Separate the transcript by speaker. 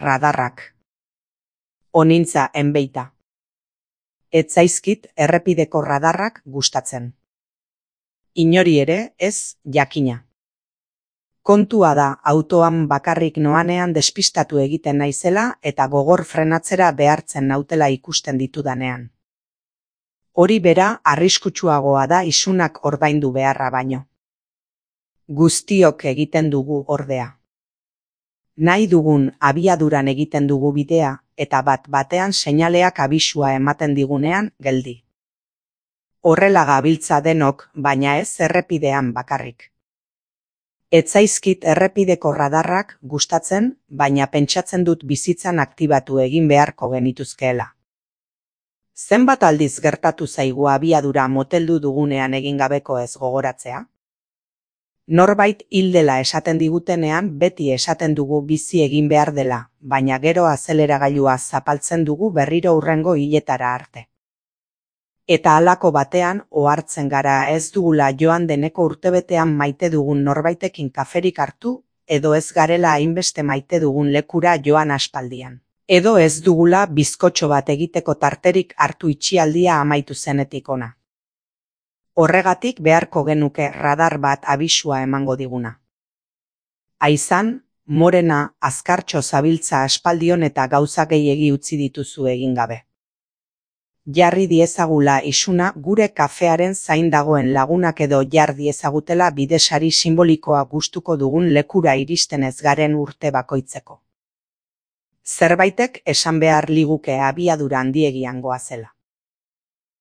Speaker 1: radarrak. Onintza enbeita. Ez zaizkit errepideko radarrak gustatzen. Inori ere ez, jakina. Kontua da autoan bakarrik noanean despistatu egiten naizela eta gogor frenatzera behartzen nautela ikusten ditudanean. Hori bera arriskutsuagoa da isunak ordaindu beharra baino. Guztiok egiten dugu ordea. Nahi dugun abiaduran egiten dugu bidea eta bat-batean seinaleak abisua ematen digunean geldi. Horrela gabiltza denok, baina ez errepidean bakarrik. Ez zaizkit errepideko radarrak gustatzen, baina pentsatzen dut bizitzan aktibatu egin beharko genituzkeela. Zenbat aldiz gertatu zaigu abiadura moteldu dugunean egin gabeko ez gogoratzea? Norbait hil dela esaten digutenean beti esaten dugu bizi egin behar dela, baina gero azeleragailua zapaltzen dugu berriro hurrengo hiletara arte. Eta halako batean ohartzen gara ez dugula joan deneko urtebetean maite dugun norbaitekin kaferik hartu, edo ez garela hainbeste maite dugun lekura joan aspaldian. Edo ez dugula bizkotxo bat egiteko tarterik hartu itxialdia amaitu zenetik ona. Horregatik beharko genuke radar bat abisua emango diguna. Aizan, morena, azkartxo zabiltza aspaldion eta gauza gehiegi utzi dituzu egin gabe. Jarri diezagula isuna gure kafearen zain dagoen lagunak edo jar diezagutela bidesari simbolikoa gustuko dugun lekura iristen ez garen urte bakoitzeko. Zerbaitek esan behar liguke abiadura handiegian goazela.